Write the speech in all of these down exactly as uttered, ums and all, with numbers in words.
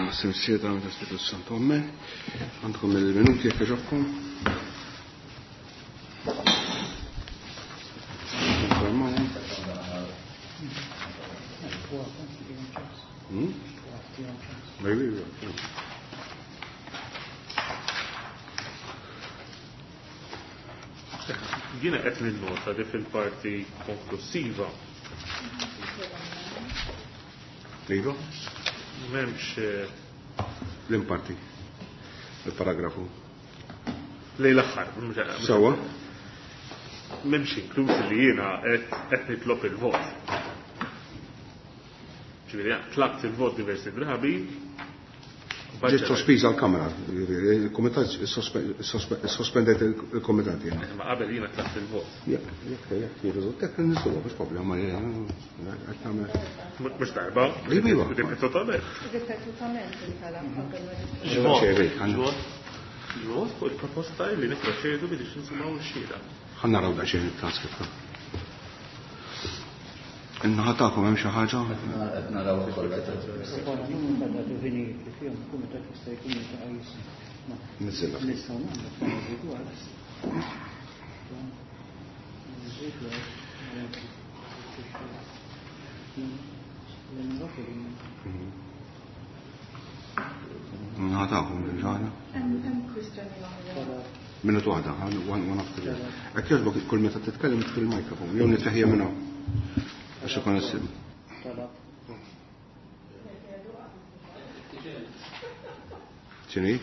Missier ta' Spiritu Santo, Amen. Għandkom il-minuti jekk jogħġobkom. Hmm? Jiena qed ninnota li fil-parti konklusiva. Iva? M'hemmx l-imparti, il-paragrafu. Lej l-aħħar. Sawa? M'hemmx inkluż li jiena qed nitlob il-vot. Ġifieri tlabt il-vot diversi drabi. Ġiet sospiża l-Kamra, il-Kumitat sospendet il-Kumitat. Ma qabel jiena tlabt il-vot. Jekk, jekk, jekk jirriżulta, jekk nisluha mhux problema. Mhux darba. Iva. Ripetutament. Ripetutament intalab qabel ma Ġvot fuq il-proposta li nipproċedu biex nisimgħu x-xhieda. Ħa naraw daqsxejn it-transkript. In-naħa tagħkom hemm xi ħaġa? Qed naraw ukoll. Niżilha. In-naħa tagħkom hemm xi ħaġa? Hemm kwistjoni oħra. Minuta waħda, one after the other. Hekk jogħġbok kull meta titkellem fil-mikrofon, jew nitteħija minn hawn. Għax ikun issim. X'inhi?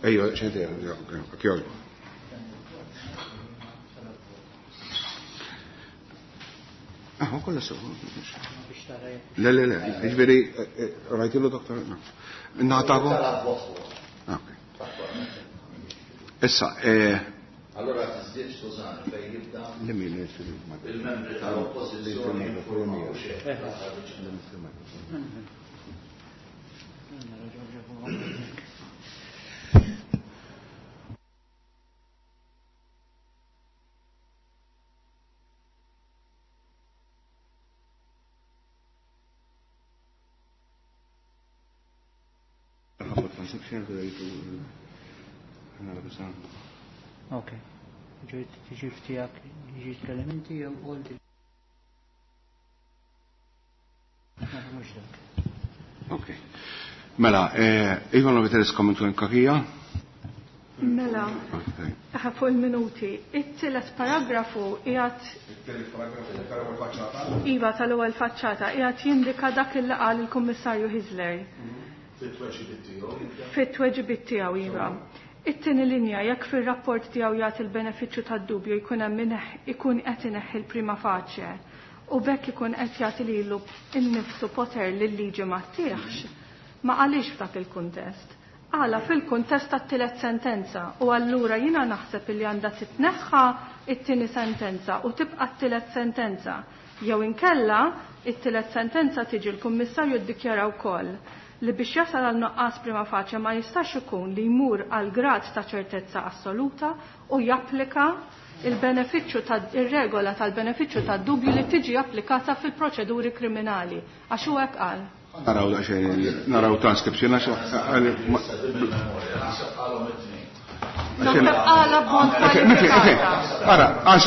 Ejja, xejn hekk jogħġbok. Ah, kollha sew. Le, le, le, jiġifieri rajtilu doktor? In-naħa tagħkom? Ok. Issa, Allora tiżdied Susanne fejn jibda il-membri tal-oppożizzjoni informaw xejn. Ok. Ġejt tiġi ftijak, ġi tkellem inti jew qolti. Mhux dak. Ok. Mela, Ivan Loviteris kommentu nkakija? Mela, fuq il-minuti. It-tielet paragrafu qiegħed It-tielet paragrafu tal-ewwel faċċata? Iva, tal-ewwel faċċata qiegħed jindika dak il qal il-Kummissarju Hyzler. Fit-tweġibiet tiegħu. Fit-tweġibiet tiegħu, iva. It-tieni linja jekk fir-rapport tiegħu jagħti l-benefiċċju tad-dubju jkun hemm ikun qed ineħħi l-prima facie u bekk ikun qed jagħti lilu nnifsu poter li l-liġi ma ttieħx. Ma qalix f'dak il-kuntest. Qala fil-kuntest tat-tielet sentenza u allura jiena naħseb li għandha titneħħa it-tieni sentenza u tibqa' t-tielet sentenza. Jew inkella it-tielet sentenza tiġi l-Kummissarju ddikjara wkoll li biex jasal għal nuqqas prima facie ma jistax ikun li jmur għal grad ta' ċertezza assoluta u japplika il-benefiċċju ta' ir-regola tal-benefiċċju tad-dubju li tiġi applikata fil-proċeduri kriminali. Għax hu hekk qal. Naraw daqsxejn, naraw transcription għax Naħseb qala b'mod kwalifikat. Ara, għax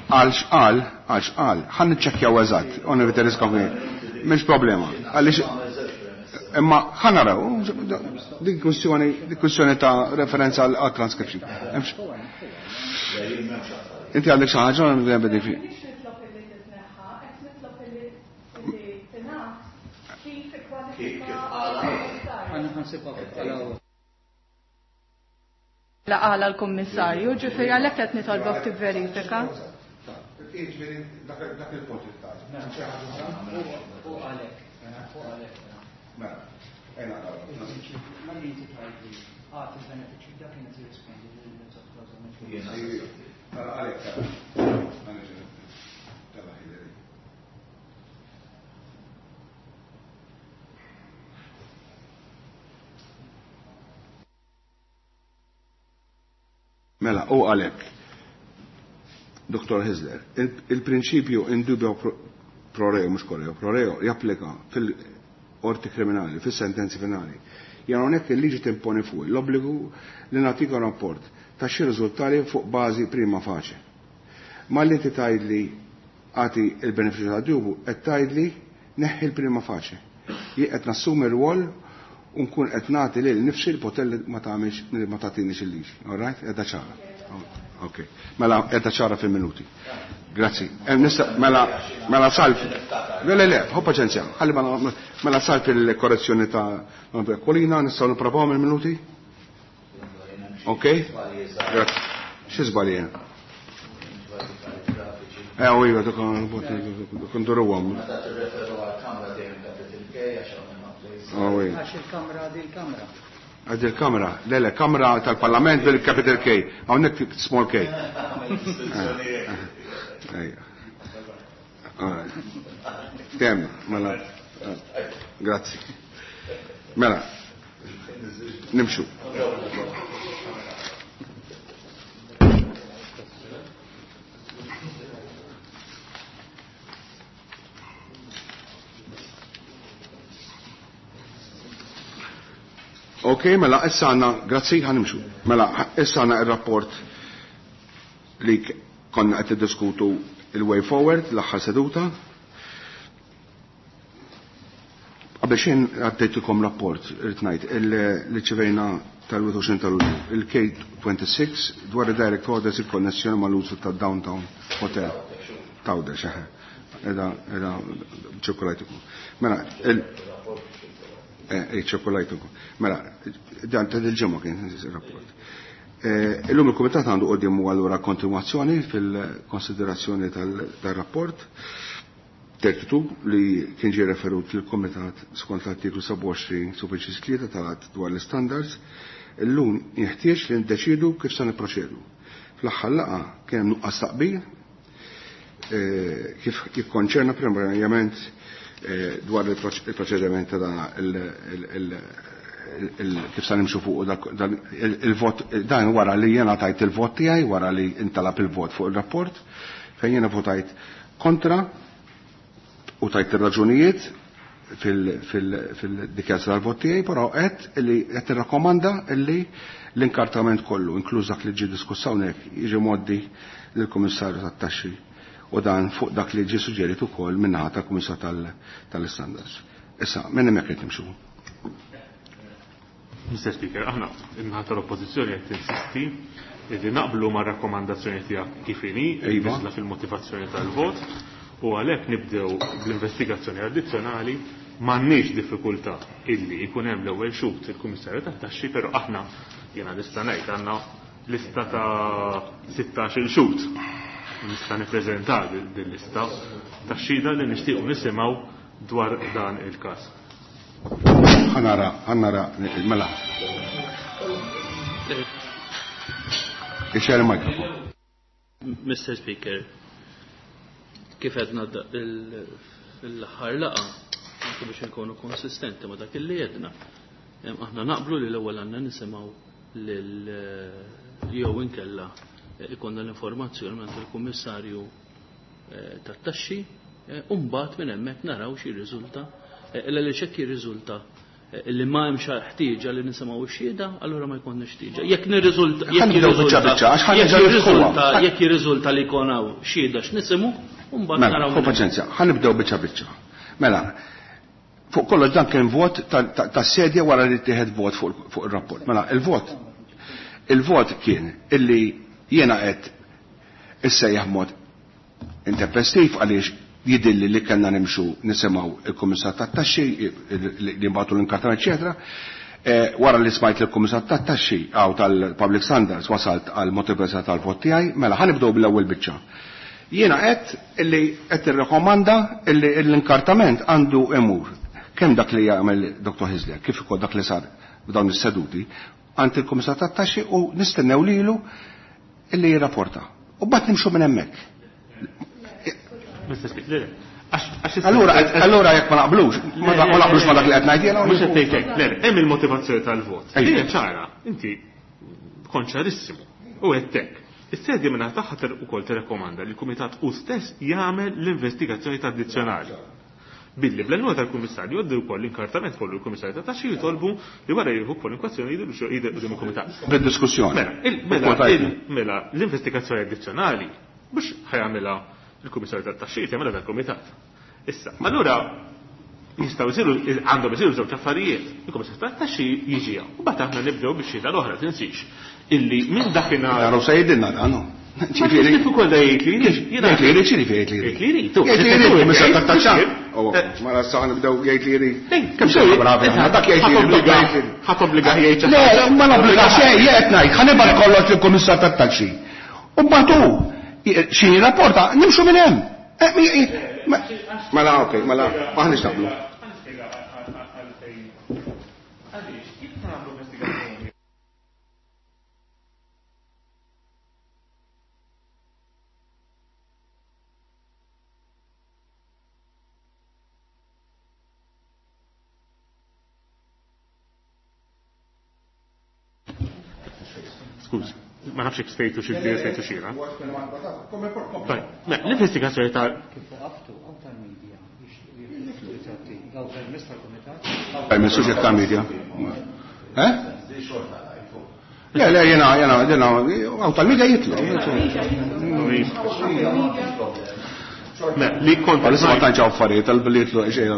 għal x'qal, għal x'qal, ħa niċċekkjaw eżatt, u niviteris mhix problema. Għaliex imma ħa naraw dik kwistjoni dik kwistjoni ta' referenza għal transcription. Inti għandek xi ħaġa nibda fi. La qala l-Kummissarju, ġifieri għalhekk qed nitolbok tivverifika. Dak il-punt U għalek, u għalek. Mela, ejna naraw. Ma li inti tgħid għati il-benefiċċju dak kienet jirrispondi Mela għalek, Mela, u għalek. Dottor Hyzler, il-prinċipju in dubio pro reo, mhux korreo, pro reo japplika fil-qorti kriminali, fis-sentenzi finali. Jien hawnhekk il-liġi timponi fuq l-obbligu li nagħtika rapport ta' xi riżultati fuq bażi prima facie. Ma li inti tgħidli għati il-benefiċċju ta' dubju qed tgħidli neħħi l-prima facie. Jien qed nassumi r-rwol u nkun qed nagħti lil nifsi l-poter li ma tagħmilx li ma tagħtinix il-liġi. All right? Qiegħda ċara. Ok. Mela qiegħda ċara fil-minuti. Grazzi. Mela mela salf. Le le le, ħu paċenzja. Ħalli mela salf il-korrezzjoni ta' Kolina, nistgħu nipprovaw mill-minuti? Ok? Grazzi. Xi żbalji? Eh, u iva, dak nduruhom. Meta tirreferu għall-kamra dejjem capital K għax hawn Għax il-kamra di l-kamra. Għad il-kamra, le le, kamra tal-parlament bil-capital K, hawnhekk small K. Ejja. Kemm, mela, grazzi. Mela, nimxu. Ok, mela, issa għanna, grazzi, ħanimxu. Mela, issa għanna il-rapport li konna qed diskutu il-way forward, l-aħħar seduta. Qabel xejn għaddejtilkom rapport, irrid ngħid, li ċivejna tal-wieħed u għoxrin ta' Lulju, il-K twenty-six dwar il-direct orders il-konnessjoni mal-użu ta' Downtown Hotel. Tawdex, eħe. Eda, eda, ċirkolajtukom. Mela, il- Eh, ċirkolajtukom. Mela, dan ta' dil-ġimgħa kien ir-rapport. Illum il-Kumitat għandu quddiemu allura kontinwazzjoni fil-konsiderazzjoni tal-rapport thirty-two li kien ġie referut lill-Kumitat skont l-artiklu sebgħa u għoxrin subinċis tlieta tal-Att dwar l-istandards. Illum jeħtieġ li ndeċidu kif se nipproċedu. Fl-aħħar laqgħa kien hemm nuqqas taqbil kif jikkonċerna primarjament dwar il-proċediment ta' dan kif sa nimxu fuq dan il-vot, dan wara li jena tajt il-vot tiegħi, wara li intalab il-vot fuq il-rapport, fejn jena votajt kontra u tajt ir-raġunijiet fil-dikjazzja tal-vot tiegħi, però qed li qed irrakkomanda li l-inkartament kollu, inkluż dak li ġie diskuss hawnhekk, jiġi mgħoddi lill-Kummissarju tat-Taxxi u dan fuq dak li ġie suġġerit ukoll min-naħa tal-Kummissarju tal-Istandards. Issa, minn hemmhekk qed nimxu. Mister Speaker, aħna in-naħa tal-Oppożizzjoni qed tinsisti li naqblu ma' rakkomandazzjoni tiegħek kif inhi, nizla fil-motivazzjoni tal-vot, u għalhekk nibdew bl-investigazzjoni addizzjonali. M'għandniex diffikultà illi jkun hemm l-ewwel xhud il-Kummissarju tat-Taxxi, però aħna jiena nista' ngħid għandna lista ta' sittax-il xhud. Nista' nippreżenta din lista ta' xhieda li nixtiequ nisimgħu dwar dan il-każ. Ħanara, ħanara, mela. Ixxer il-mikrofon. Mister Speaker, kif għedna fil-aħħar laqgħa, anke biex inkunu konsistenti ma' dak li għedna, aħna naqblu li l-ewwel għandna nisimgħu lil jew inkella ikonna l-informazzjoni minn il-Kummissarju tat-Taxxi, u mbagħad minn hemmhekk naraw xi riżulta. Illa li xekk jirriżulta li ma hemmx ħtieġa li nisimgħu x-xhieda, allura ma jkollniex ħtieġa. Jekk nirriżulta, jekk jirriżulta, jekk jirriżulta, jekk jirriżulta li jkun hawn xhieda x'nisimgħu, u mbagħad naraw. Mela, paċenzja, ħa nibdew biċċa biċċa. Mela, fuq kollox dan kien vot tas-sedja wara li ttieħed vot fuq ir-rapport. Mela, il-vot il-vot kien illi jiena qed issejjaħ mod intempestiv għaliex jidilli li kellna nimxu nisimgħu il-Kummissar tat-Taxxi li nbagħtu l-inkartana, eċetera. Wara li smajt il-Kummissar tat-Taxxi għaw tal-Public Standards wasalt għal motivazzjoni tal-vot tiegħi, mela ħanibdew bil-ewwel biċċa. Jiena qed illi qed irrekomanda illi l-inkartament għandu imur kemm dak li jagħmel Doktor Hyzler, kif ukoll dak li sar b'dawn is-seduti għand il-Kummissar tat-Taxxi u nistennew lilu illi jirrapporta. U mbagħad nimxu minn hemmhekk. Allura, allura jekk ma naqblux, ma naqblux ma dak li qed ngħid jiena. Mhux qed ngħid hekk, le, hemm il-motivazzjoni tal-vot. Hija ċara, inti kont ċarissimu u qed hekk. Is-sedja minn tagħha ukoll tirrakkomanda li l-Kumitat hu stess jagħmel l-investigazzjoni addizzjonali. Billi bl-għajnuna tal-Kummissarju jgħoddu wkoll l-inkartament kollu l-Kummissarju ta' taxxi jitolbu li wara jieħu kwalunkwe jidhru jidher quddiem il-Kumitat. Bid-diskussjoni. Mela, mela l-investigazzjoni addizzjonali mhux ħajamilha il-Kummissarju tat-Taxxi, jagħmilha dal-Kumitat. Issa, allura jistgħu jsiru għandhom isiru żewġ affarijiet. Il-Kummissarju tat-Taxxi jiġi hawn. U mbagħad aħna nibdew bix-xhieda l-oħra, tinsix. Illi minn dakinhar. Naraw se jgħidilna dan. Ġifieri kif ukoll jgħid li jrid. Jgħid li jrid, x'jiġifieri jgħid li jrid? Jgħid li jrid. Jgħid li jrid, Kummissarju tat-Taxxa. Mela sa nibdew jgħid li jrid. Kemm se bravi aħna, dak jgħid li jrid. Ħadd obbliga jgħid xi Le, ma nobbliga xejn, jien qed ngħid, ħa nibgħat kollox lill-Kummissar tat-Taxxi. U mbagħad hu xi jirrapporta, nimxu minn hemm. Mela, okej, mela, aħniex naqblu. Skużi, ma nafx jekk stejtu xi bdejt stejtu xira. L-investigazzjoni ta' Permess suġġett ta' media. Eh? Le, le, jena, jena, jena, għaw tal-media jitlu. Li kont Għalissa ma tantx affarijiet tal-billi jitlu xejn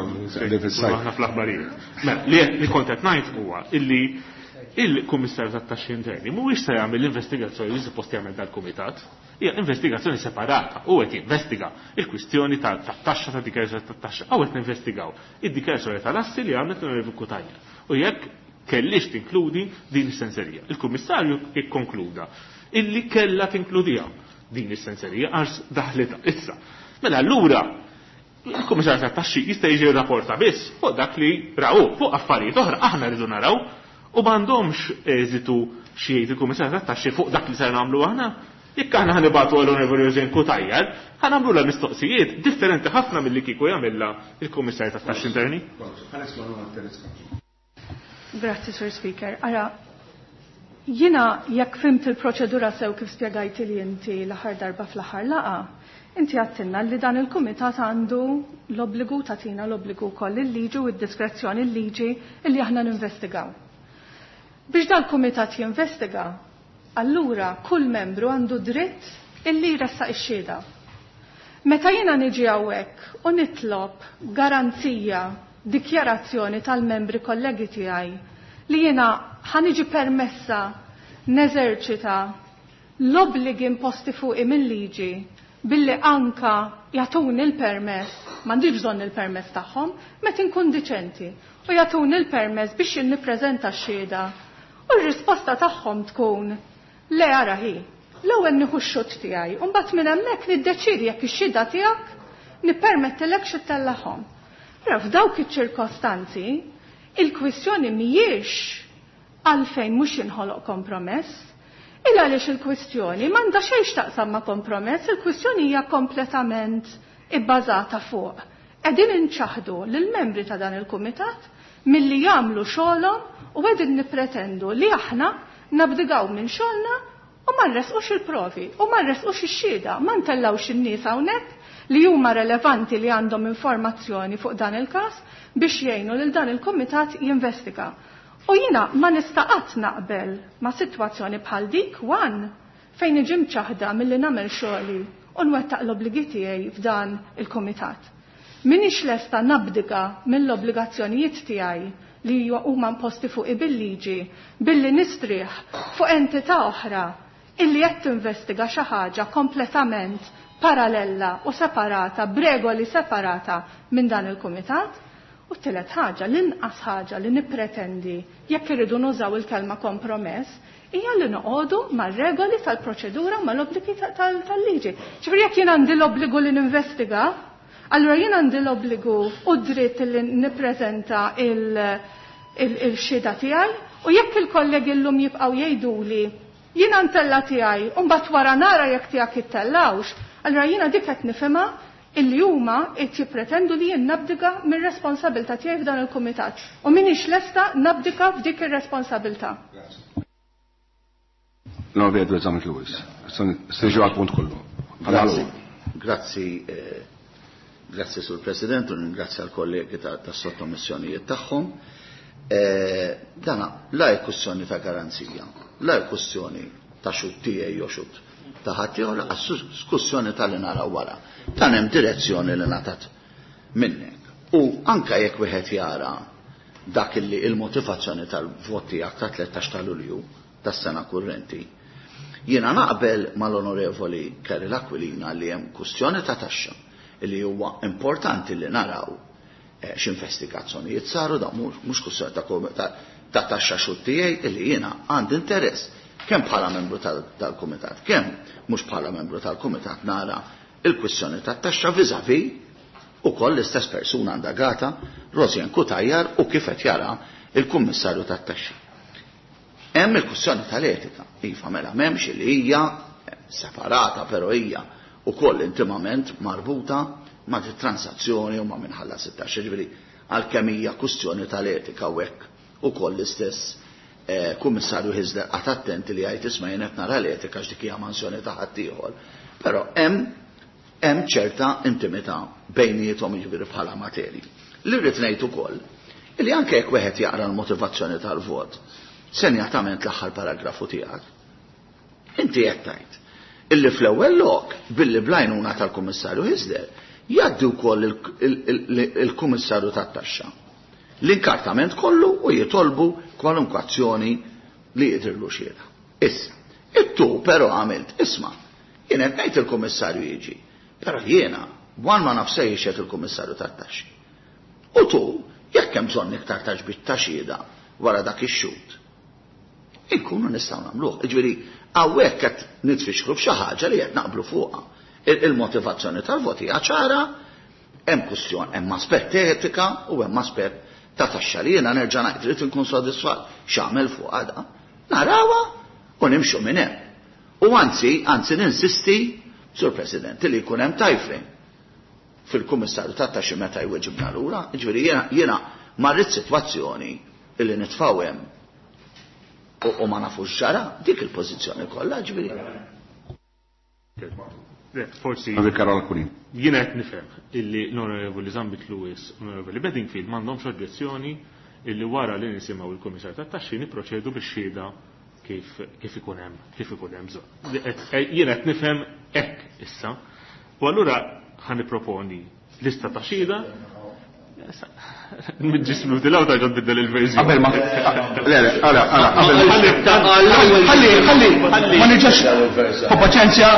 Aħna fl-aħbarijiet. Li kont qed ngħid huwa illi il-Kummissarju tat-Taxxi Interni mhuwiex se jagħmel l-investigazzjoni li suppost jagħmel dal-Kumitat. Hija investigazzjoni separata u qed jinvestiga il-kwistjoni tat-taxxa ta' dikjarazzjoni tat-taxxa u qed ninvestigaw id-dikjarazzjoni tal-assi li għamlet l-Onorevoli Cutajar. U jekk kellix tinkludi din is-senserija. Il-Kummissarju ikkonkluda illi kellha tinkludiha din is-senserija għax daħlitha issa. Mela allura il-Kummissarju tat-Taxxi jista' jiġi rrapporta biss fuq dak li raw fuq affarijiet oħra aħna rridu naraw u m'għandhomx eżitu xi jgħid il-Kummissarju tat-Taxxi fuq dak li ser nagħmlu aħna. Jekk aħna ħanibatu għal Onorevoli Rosane Cutajar, ħanagħmlulha mistoqsijiet differenti ħafna milli kieku jagħmilha il-Kummissarju tat-Taxxi Interni. Grazzi, Sir Speaker. Ara, jiena jekk fimt il-proċedura sew kif spjegajti li inti l-aħħar darba fl-aħħar laqa, inti għattilna li dan il-kumitat għandu l-obbligu tagħtina l-obbligu wkoll il-liġi u d-diskrezzjoni l-liġi illi aħna ninvestigaw. Biex dal-kumitat jinvestiga, allura kull membru għandu dritt illi jressaq ix-xhieda. Meta jiena niġi hawnhekk u nitlob garanzija, dikjarazzjoni tal-membri kollegi tiegħi li jiena ħaniġi permessa neżerċita l-obbligi imposti fuqi mill-liġi billi anka jagħtuni l-permess, m'għandix bżonn il-permess tagħhom, meta inkun diċenti u jagħtuni l-permess biex jien nippreżenta x-xhieda. U r-risposta tagħhom tkun le ara hi, l-ewwel nieħu x-xut tiegħi u mbagħad minn hemmhekk niddeċiedi jekk ix-xhieda tiegħek nippermettilek xi ttellahom. Però f'dawk iċ-ċirkostanzi il-kwistjoni mhijiex għalfejn mhux jinħoloq kompromess, il għaliex il-kwistjoni m'għandha xejn x'taqsam ma' kompromess, il-kwistjoni hija kompletament ibbażata fuq. Qegħdin inċaħdu lill-membri ta' dan il-kumitat milli jagħmlu xogħolhom u qegħdin nippretendu li aħna nabdigaw minn xogħolna u ma nresqux il-provi u ma nresqux ix-xhieda, ma ntellgħux in-nies hawnhekk li huma relevanti li għandhom informazzjoni fuq dan il-każ biex jgħinu lil dan il-kumitat jinvestiga. U jiena ma nista' qatt naqbel ma' sitwazzjoni bħal dik wan fejn niġi mċaħda milli nagħmel xogħli u nwettaq l-obbligi tiegħi f'dan il-kumitat. Minix lesta nabdiga mill-obbligazzjonijiet tiegħi li huma imposti fuqi bil-liġi billi nistrieħ fuq entità oħra illi qed tinvestiga xi ħaġa kompletament paralella u separata, b'regoli separata minn dan il-kumitat. U t-tielet ħaġa, l-inqas ħaġa li nippretendi jekk irridu nużaw il-kelma kompromess hija li noqogħdu mar-regoli tal-proċedura mal-obbligi tal-liġi. Ġifieri jekk jien għandi l-obbligu li ninvestiga, allura jien għandi l-obbligu u dritt li nippreżenta il-xhieda tiegħi u jekk il-kollegi llum jibqgħu jgħiduli jiena ntella tiegħi u mbagħad wara nara jekk tiegħek ittellawx, allura jiena dik qed nifhimha illi huma qed jippretendu li jien nabdika mir-responsabilità tiegħi f'dan il-kumitat. U m'iniex lesta nabdika f'dik ir-responsabilità. L-Onorevoli Edward Zammit Lewis. Niġu għal-punt kollu. Grazzi, grazzi, grazzi Sur President, u ringrazzja l-kollegi tas-sottomissjonijiet tagħhom. Dana la hija kwestjoni ta' garanzija, la hija kwestjoni ta' xut tiegħi jew xut ta' ħadd ieħor, laqas kwestjoni tal-li naraw wara. Dan hemm direzzjoni li ngħatat minnek. U anke jekk wieħed jara dak li il-motivazzjoni tal-vot tiegħek ta' tlettax ta' Lulju tas-sena kurrenti, jiena naqbel mal-Onorevoli Karol Aquilina li hemm kwestjoni ta' taxxa li huwa importanti li naraw x'investigazzjonijiet saru, da mhux kwestjoni ta' taxxa xut tiegħi li jiena għandi interess kemm bħala membru tal-kumitat, kemm mhux bħala membru tal-kumitat nara il-kwestjoni tat-taxxa vis-à-vis ukoll l-istess persuna indagata, Rosianne Cutajar, u kif qed jara il-Kummissarju tat-Taxxi. Hemm il-kwestjoni tal-etika, iva mela m'hemmx li hija separata, però hija ukoll intimament marbuta ma' transazzjoni u ma' minħalla sittax, ġifieri għalkemm hija kwestjoni tal-etika u hekk ukoll l-istess Kummissarju Hyzler qatt attenti li jgħid isma' jien qed nara l-etika għax dik hija mansjoni ta' ħaddieħor. Però hemm hemm ċerta intimità bejniethom jiġifieri bħala materji. Li rrid ngħid ukoll li anke jekk wieħed jaqra l-motivazzjoni tal-vot, senjatament l-aħħar paragrafu tiegħek, inti qed tgħid illi fl-ewwel lok billi blajnuna tal-Kummissarju Hyzler jgħaddi wkoll il-Kummissarju tat-Taxxa l-inkartament kollu u jitolbu kwalunkwe azzjoni li jidhirlu xiera. Issa, ittu però għamilt, isma', jien qed ngħid il-Kummissarju jiġi, però jiena wan ma nafx se jixhed il-Kummissarju tat-Taxxi. U tu, jekk hemm bżonn iktar taġbit ta' xhieda wara dak ix-xhud, inkunu nistgħu nagħmluh. Jiġifieri hawnhekk qed nitfixklu f'xi ħaġa li qed naqblu fuqha. Il-motivazzjoni tal-vot hija ċara, hemm kwestjoni, hemm aspett etika u hemm aspett ta' taxxa li jiena nerġa' ngħid trid inkun sodisfatt x'għamel fuq għada. Narawha u nimxu minn hemm. U anzi, anzi ninsisti, Sur President, li jkun hemm time frame fil-Kummissarju tat-Taxxi meta jweġibna lura, jiġifieri jiena jiena ma rrid sitwazzjoni illi nitfgħu hemm u ma nafux ġara dik il-pożizzjoni kollha, jiġifieri. Forsi jiena qed nifhem illi l-Onorevoli Zammit Lewis u l-Onorevoli Bedingfield m'għandhomx oġġezzjoni illi wara li nisimgħu il-Kummissarju tat-Taxxi nipproċedu bix-xhieda kif kif ikun hemm kif ikun hemm bżonn. Jiena qed nifhem hekk issa. U allura ħa nipproponi lista ta' xhieda. Mid-ġismu tilaw ta' ġod biddel il-verżjoni. Qabel ma le le, għala, għala, qabel. Ħalli, ħalli, ma niġax. Paċenzja.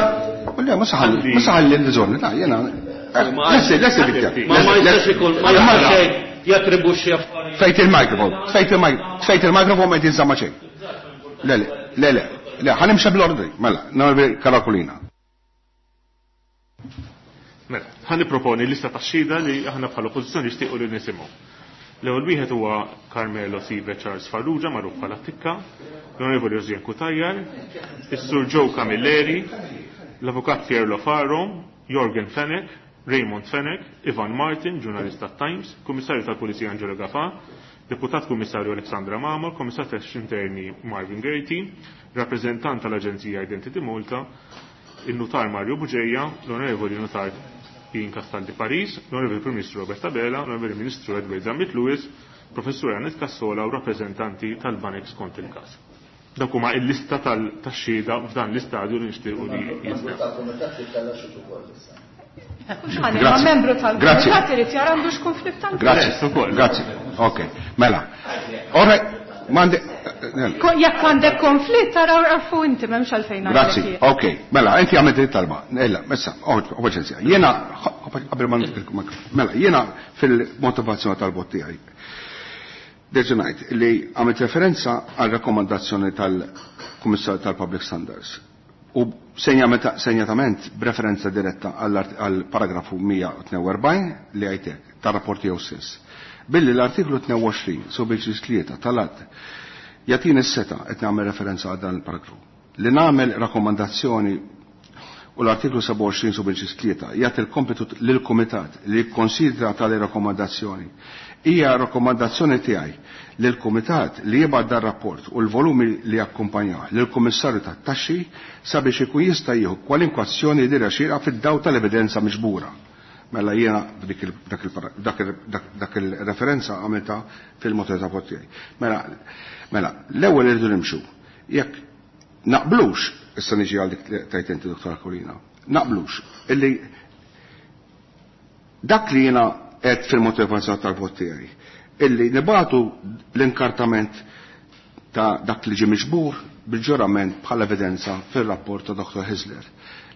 Le, ma saħalli, ma saħalli l-żonni, ta' jena. Lessi, lessi bikja. Ma ma jistax ikun, ma jistax jattribuxxi affarijiet. Fejt il-mikrofon, fejt il-mikrofon, fejt il-mikrofon ma jitinżamma xejn. Le, le, le, le, le, ħanimxa bl-ordni, mela, nagħmel karakulina. Mela, ħa nipproponi lista ta' xhieda li aħna bħala oppożizzjoni nixtiequ li nisimgħu. L-ewwel wieħed huwa Carmelo Sive Charles Farrugia, magħruf bħala Tikka, l-Onorevoli Rosianne Cutajar, is-Sur Joe Camilleri, l-Avukat Pierre Lofaro, Jorgen Fenech, Raymond Fenech, Ivan Martin, ġurnalista Times, Kummissarju tal-Pulizija Angelo Gafà, Deputat Kummissarju Alexandra Mamo, Kummissarju tal-Interni Marvin Gaerty, rappreżentant tal-Aġenzija Identity Malta, il-Nutar Mario Bugeja, l-Onorevoli Nutar Ian Castaldi Paris, l-Onorevoli Prim Ministru Robert Abela, l-Onorevoli Ministru Edward Zammit Lewis, Professur Annette Cassola u rappreżentanti tal-Banek skont il-każ. Dak huma il-lista tax-xhieda f'dan l-istadju li nixtiequ li jinstab. Ma membru tal-kumitat irid jara għandux konflitt ta' Grazzi. Grazzi. Ok, mela. Ora, mandi Jekk għandek konflitt tara għarfu inti m'hemmx għalfejn. Grazzi. Ok, mela, inti għamilt it-talba. Ella, issa, paċenzja. Jiena qabel ma mela, jiena fil-motivazzjoni tal-vot tiegħi. Derġa' ngħid li għamilt referenza għal rakkomandazzjoni tal-Kummissarju tal-Public Standards u senjatament b'referenza diretta għal paragrafu mija u tnejn u erbgħin li għajtek tar-rapport tiegħu stess. Billi l-artiklu tnejn u għoxrin subiex tlieta tal-att jagħtini s-seta qed nagħmel referenza għal dan il-paragrafu li nagħmel rakkomandazzjoni u l-artiklu sebgħa u għoxrin subinċis tlieta jagħti l-kompitu lill-Kumitat li jikkonsidra tali rakkomandazzjoni. Hija rakkomandazzjoni tiegħi lill-Kumitat li jibgħat dar rapport u l-volumi li jakkumpanjah lill-Kummissarju tat-Taxxi sabiex ikun jista' jieħu kwalinkwe azzjoni li xierqa fid-dawl tal-evidenza miġbura. Mela jiena dak il-referenza għamilta fil-motiv ta' vot tiegħi. Mela, mela l-ewwel irridu nimxu. Jekk naqblux, issa niġi għal dik tajt inti Dottor Aquilina, naqblux illi dak li jiena qed fil-motivazzjoni tal-vot tiegħi, illi nibatu l-inkartament ta' dak li ġie miġbur bil-ġurament bħala evidenza fil-rapport ta' Dottor Hyzler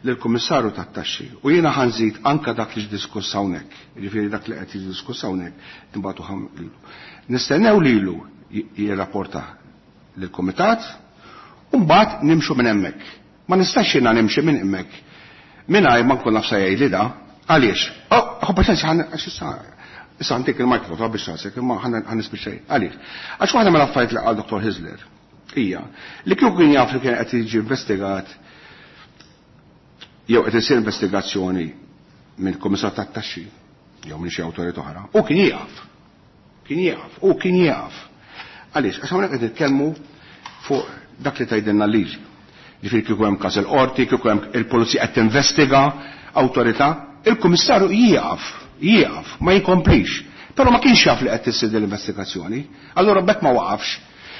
lill-Kummissarju tat-Taxxi u jiena ħanżid anka dak li ġdiskuss hawnhekk, jiġifieri dak li qed jiddiskuss hawnhekk nibatu lilu. Nistennew lilu jirrapporta lill-Kumitat u mbagħad nimxu minn hemmhekk. Ma nistax jiena nimxi minn hemmhekk mingħajr ma nkun naf se jgħidli da. Għaliex? Oh, paċenzja, għax issa issa għandik il-mikrofon biex rasek, imma ħan nispiċċej. Għaliex? Għax waħda mill-affarijiet li qal Dottor Hyzler hija li kieku kien jaf li kien qed jiġi investigat jew qed isir investigazzjoni minn Kummissar tat-Taxxi jew minn xi awtorità oħra, u kien jieqaf. Kien jieqaf, u kien jieqaf. Għaliex? Għax hawnhekk qed nitkellmu fuq dak li tgħidilna l-liġi. Ġifieri kieku hemm każ il-qorti, kieku hemm il-pulizija qed tinvestiga awtorità, il-Kummissarju jieqaf, jieqaf, ma jkomplix. Però ma kienx jaf li qed issir l-investigazzjoni, allura b'hekk ma waqafx.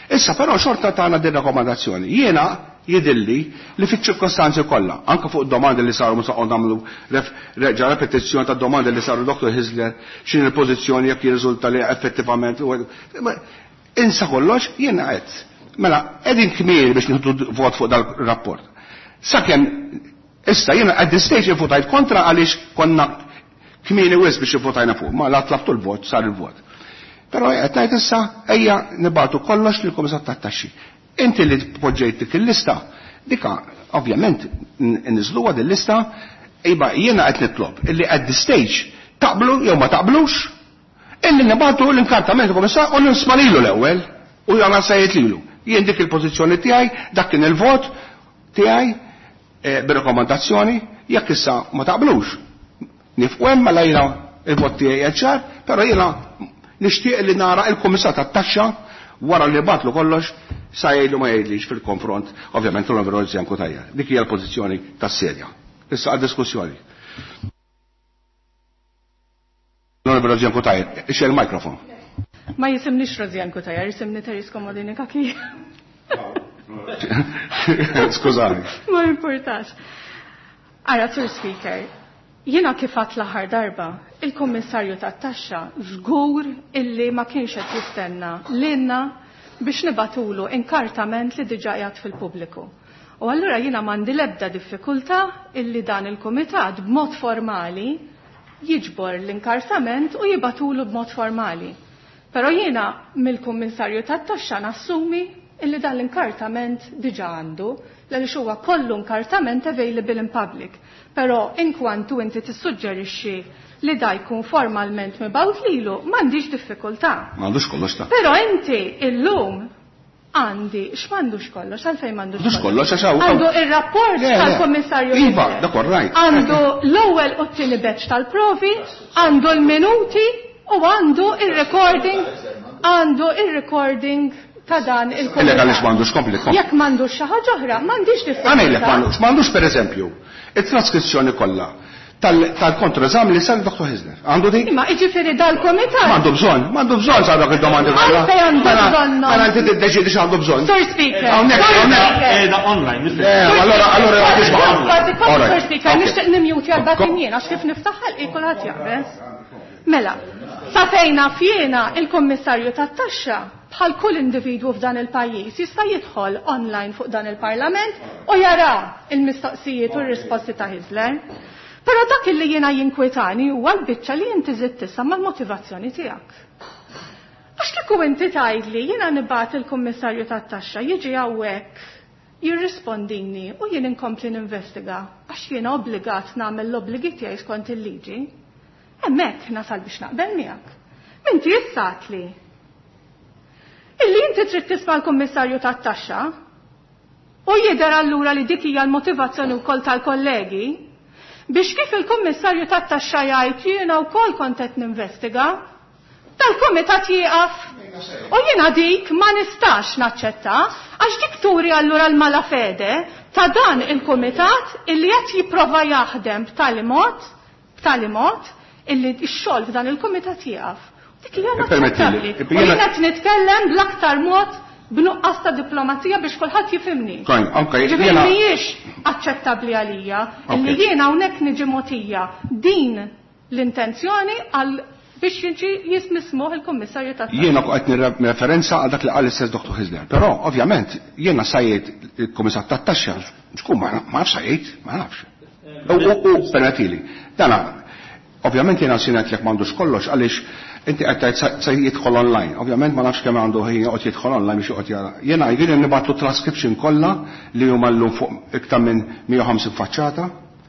Issa però xorta tagħna din rakkomandazzjoni. Jiena jidilli li fiċ-ċirkostanzi kollha, anke fuq domandi li saru mhux noqgħod nagħmlu reġa' repetizzjoni ta' domandi li saru Dottor Hyzler x'inhi l-pożizzjoni jekk jirriżulta li effettivament insa kollox jiena qed. Mela qegħdin kmieni biex nieħdu vot fuq dal-rapport. Sakemm issa jiena at this stage ivvutajt kontra għaliex konna kmieni wisq biex ivvutajna fuq, ma la tlabtu l-vot sar il-vot. Però qed ngħid issa ejja nibgħatu kollox lill-Kummissar tat-Taxxi. Inti li poġġejt dik il-lista, dika ovvjament niżluha din lista, iba jiena qed nitlob illi at this stage taqblu jew ma taqblux, illi nibgħatu l-inkartament kummissar u nisma' lilu l-ewwel u jagħmel sejjed lilu. Jien dik il-pożizzjoni tiegħi, dak kien il-vot tiegħi bir-rakkomandazzjoni, jekk issa ma taqblux. Nifqu hemm mela jiena il-vot tiegħi qed ċar, però jiena nixtieq li nara il-Kummissar tat-Taxxa wara li batlu kollox sa jgħidlu ma jgħidlix fil-konfront, ovvjament l-Onorevoli Rosianne Cutajar. Dik hija l-pożizzjoni tas-sedja. Issa għad-diskussjoni. L-Onorevoli Rosianne Cutajar, ixxel il-mikrofon. Ma jisimnix Rosianne Cutajar, jisimni Therese Comodini Cachia. Skużani. Ma importax. Ara, Sur Speaker, jiena kif għadt l-aħħar darba, il-Kummissarju tat-Taxxa żgur illi ma kienx qed jistenna lilna biex nibatulu inkartament li diġà qiegħed fil-pubbliku. U allura jiena m'għandi l-ebda diffikultà illi dan il-kumitat b'mod formali jiġbor l-inkartament u jibatulu b'mod formali. Però jiena mill-Kummissarju tat-Taxxa nassumi illi dan l-inkartament diġà għandu, għaliex huwa kollu inkartament available in public. Però inkwantu inti tissuġġerixxi li da jkun formalment mibgħut lilu, m'għandix diffikultà. M'għandux kollox ta'. Però inti illum għandi, x'm'għandux kollox, għalfejn m'għandux M'għandux kollox għax hawn. Għandu ir-rapport Le, le. tal-Kummissarju Iva, Hyzler. dak all right. Għandu l-ewwel u t-tieni batch tal-provi, għandu l-minuti u għandu ir-recording, għandu ir-recording ta' dan il-kumitat. Illa għaliex m'għandux kompli, kompli. Jekk m'għandux xi ħaġa oħra, m'għandix diffikultà. Għamilek m'għandux, m'għandux pereżempju it-traskrizzjoni kollha tal-kontroeżami li sar Dottor Hyzler. Għandu dik? Imma jiġifieri dal-kumitat. M'għandu bżonn, m'għandu bżonn sa dak id-domandi kollha. Għalfejn għandu Mela, bżonn? Mela inti tiddeċiedi x'għandu bżonn. Sur Speaker. Hawnhekk, Sur hawnhekk. Speaker. Qiegħda online, Mister Le, allora, allora Sur tisma'. Speaker, All right. Sur Speaker, Okay. nixtieq nimjuti għal batin jien għax kif niftaħ ħalqi kulħadd jaqbeż. Mela, sa fejna fjena il-Kummissarju tat-Taxxa bħal kull individwu f'dan il-pajjiż jista' jidħol online fuq dan il-Parlament u jara il-mistoqsijiet u r-risposti ta' Hyzler. Però dak illi jiena jinkwetani huwa l-biċċa li inti żidt tisa mal-motivazzjoni tiegħek. Għax kieku inti tgħidli jiena nibgħat il-Kummissarju tat-Taxxa jiġi hawnhekk jirrispondini u jien inkompli ninvestiga għax jiena obbligat nagħmel l-obbligi tiegħi skont il-liġi. Hemmhekk nasal biex naqbel miegħek. Minti issa għatli illi inti trid tisma' l-Kummissarju tat-Taxxa U jidher allura li dik hija l-motivazzjoni wkoll tal-kollegi biex kif il-Kummissarju tat-Taxxa jgħid jiena wkoll kont qed ninvestiga, tal-kumitat jieqaf. U jiena dik ma nistax naċċetta għax dik turi allura l-mala fede ta' dan il-kumitat illi qed jipprova jaħdem b'tali mod, b'tali mod illi x-xogħol f'dan il-kumitat jieqaf. Dik hija inaċċettabbli. U jien qed nitkellem bl-aktar mod b'nuqqas ta' diplomazija biex kulħadd jifhimni. Ġifieri mhijiex aċċettabbli għalija illi jiena hawnhekk niġi mogħtija din l-intenzjoni għal biex jiġi jismismuh il-Kummissarju tat-Taxxa. Jiena qed nirreferenza għal dak li qal l-istess Doktor Hyzler. Però ovvjament jiena sajjed il-Kummissar tat-Taxxa, xkun ma nafx sajjed, ma nafx. U permettili. Dana ovvjament jiena sinat jekk m'għandux kollox għaliex inti qed tgħid se jidħol online. Ovvjament ma nafx kemm għandu ħin joqgħod jidħol online biex joqgħod jara. Jiena jgħidli nibgħatlu transcription kollha li huma llum fuq iktar minn mija u ħamsin faċċata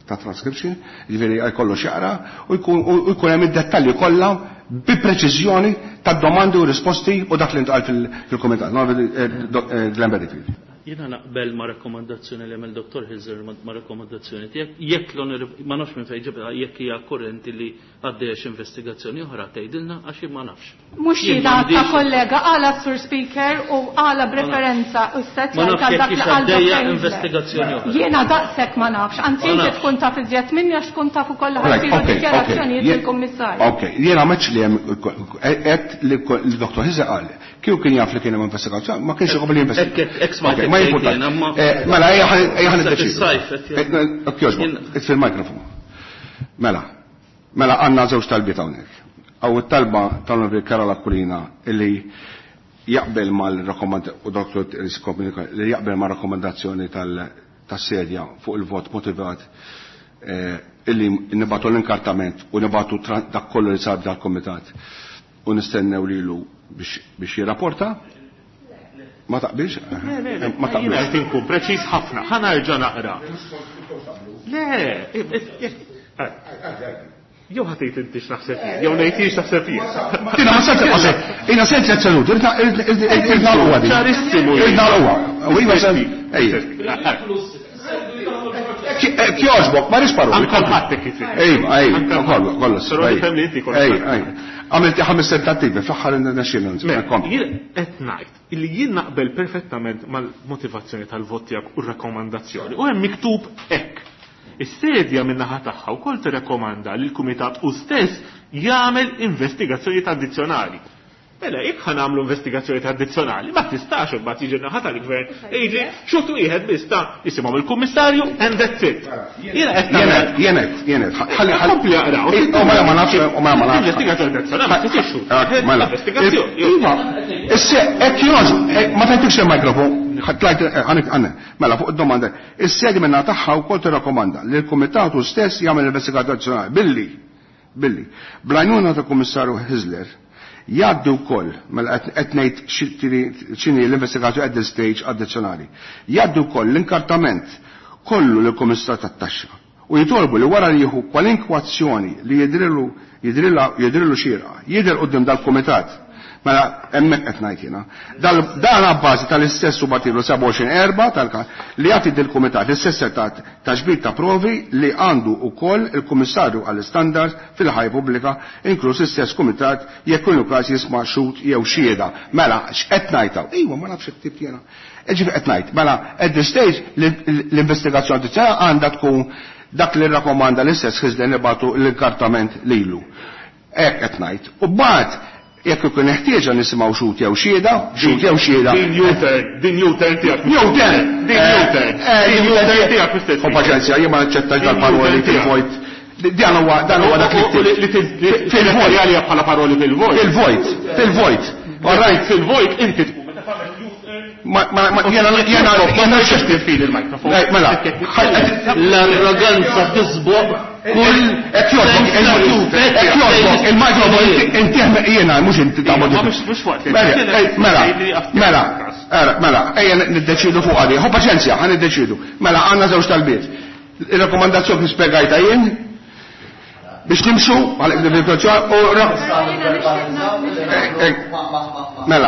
ta' transcription, jiġifieri jkollu x'jaqra u jkun hemm id-dettalji kollha bi preċiżjoni tad-domandi u risposti u dak li ntqal fil-kumitat. Glenn Bedingfield. Jiena naqbel ma' rakkomandazzjoni li għamel Doktor Hyzler ma' rakkomandazzjoni tiegħek, jekk l-onorevoli ma nafx minn fejn ġibha jekk hija korrenti li għaddejja xi investigazzjoni oħra tgħidilna għax jien ma nafx. Mhux jiena ta' kollega għala Sur Speaker u għala b'referenza u set Ma nafx jekk hix għaddejja investigazzjoni oħra. Jiena daqshekk ma nafx, anzi inti tkun taf iżjed minni għax tkun taf ukoll ħassiru dikjarazzjonijiet lill-Kummissarju. Ok, jiena m'għedx li hemm qed li l-Doktor Hyzler qal kieku kien jaf li kien hemm investigazzjoni ma kienx iqbel jinvestiga. Ma jimpurtax. Mela, ejja ħa niddeċidu. Kjoġbok, itfi l-mikrofonu. Mela, mela għandna żewġ talbiet hawnhekk. Aw it-talba tal-Onorevoli Karol Aquilina illi jaqbel mal-rakkomandazzjoni u Doktor li jaqbel mar-rakkomandazzjoni tas-sedja fuq il-vot motivat illi nibatu l-inkartament u nibatu dak kollu li sar dal-komitat u nistennew lilu biex jirrapporta. Ma taqbilx? Ma taqbilx. Jien qed inkun preċiż ħafna, ħa nerġa' naqra. Le, jew ħa tgħid inti x'naħseb jien, jew ngħid jien x'naħseb jien. Jiena ma sentx qaseb, jiena sent tliet seduti, irid nagħlquha din. Ċarissimu. Irid nagħlquha. U iva ejja. Kjoġbok, ma rix paroli. Anke ħadd hekk isir. Ejja, ejja, kollu, kollu. Però nifhem li inti kollu. Ejja, ejja. Għamilti ħames tentattivi, fl-aħħar nexxielna. Jien qed ngħid illi jien naqbel perfettament mal-motivazzjoni tal-vot tiegħek u r-rakkomandazzjoni. U hemm miktub hekk. Is-sedja min-naħa tagħha wkoll tirrakkomanda li l-kumitat u stess jagħmel investigazzjonijiet addizzjonali. Mela, jekk ħa nagħmlu investigazzjonijiet addizzjonali, ma tistax imbagħad jiġi naħa tal-gvern jiġi xutu wieħed biss ta' jisimgħu il-kummissarju and that's it. Jiena qed nagħmel. Jenet, jenet, ħalli ħalli jaqraw. U mela ma nafx, u mela ma nafx. Investigazzjoni addizzjonali ma tistax xut. Mela. Investigazzjoni. Iva, issa hekk jogħġ, ma tgħidx il-mikrofon, tlajt għandna. Mela fuq id-domanda. Is-sedi minna tagħha wkoll tirrakkomanda li l-kumitatu stess jagħmel investigazzjoni addizzjonali billi billi bl-għajnuna tal-Kummissarju Hyzler jgħaddi wkoll mela qed ngħid x'inhi l-investigazzjoni at this stage addizzjonali. Jgħaddi wkoll l-inkartament kollu lill-Kummissar tat-Taxxa u jitolbu li wara li jieħu kwalinkwa azzjoni li jidrilu jidrilu xierqa jidher quddiem dal-kumitat. Mela hemmhekk qed ngħid jiena. Dan abbażi tal-istess subartiklu sebgħa u għoxrin erba' tal li jagħti dil-kumitat l-istess setat ta' ġbir ta' provi li għandu wkoll il-Kummissarju għall-Istandards fil-ħajja pubblika, inkluż l-istess kumitat jekk ikun każ jisma' xhud jew xhieda. Mela x'qed ngħid hawn? Ejwa ma nafx it-tip jiena. Ġifi qed ngħid, mela at this stage l-investigazzjoni addizzjonali għandha tkun dak li rrakkomanda l-istess Hyzler nibagħtu l-inkartament lilu. Hekk qed ngħid. U mbagħad jekk ikun ħtieġa nisimgħu xhud jew xhieda, xhud jew xhieda. Din U-turn, din U-turn tiegħek. U-turn, din U-turn. Din U-turn tiegħek mistess. Ho paċenzja, jien ma naċċettax dal-paroli fil-vojt. Dan huwa dan huwa dak li fil-vojt bħala paroli fil-vojt. Fil-vojt, fil-vojt. All right, fil-vojt inti tkun meta tagħmel U-turn. Ma ma jiena jiena jiena x'tifil il-mikrofon. Mela, l-arroganza tisboq kull hekk jogħġbok il-mikrofon inti jiena mhux inti tagħmel. Mhux waqt. Mela, mela, mela, ejja niddeċidu fuq għadi. Ħu paċenzja, ħa niddeċidu. Mela għandna żewġ talbiet. Ir-rakkomandazzjoni kif spjegajta jien biex nimxu għal u mela,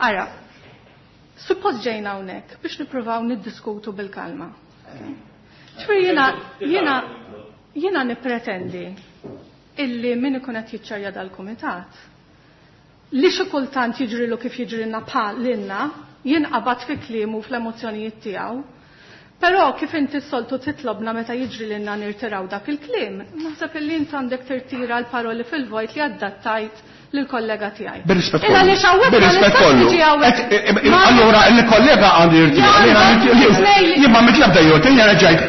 Ara, Suppost ġejna hawnhekk biex nippruvaw niddiskutu bil-kalma. Ġifieri jiena jiena jiena nippretendi illi min ikun qed jiċċarja dal-kumitat li xi kultant jiġrilu kif jiġrilna bħal lilna jinqabad fi kliemu fl-emozzjonijiet tiegħu. Però kif inti s-soltu titlobna meta jiġri lilna nirtiraw dak il-kliem, naħseb illi int għandek tirtira l-paroli fil-vojt li adattajt lill-kollega tiegħi. Bir-rispett kollu. Bir-rispett kollu. Allura il-kollega għandu jirtira. Jien ma mitlab da jien ġajt.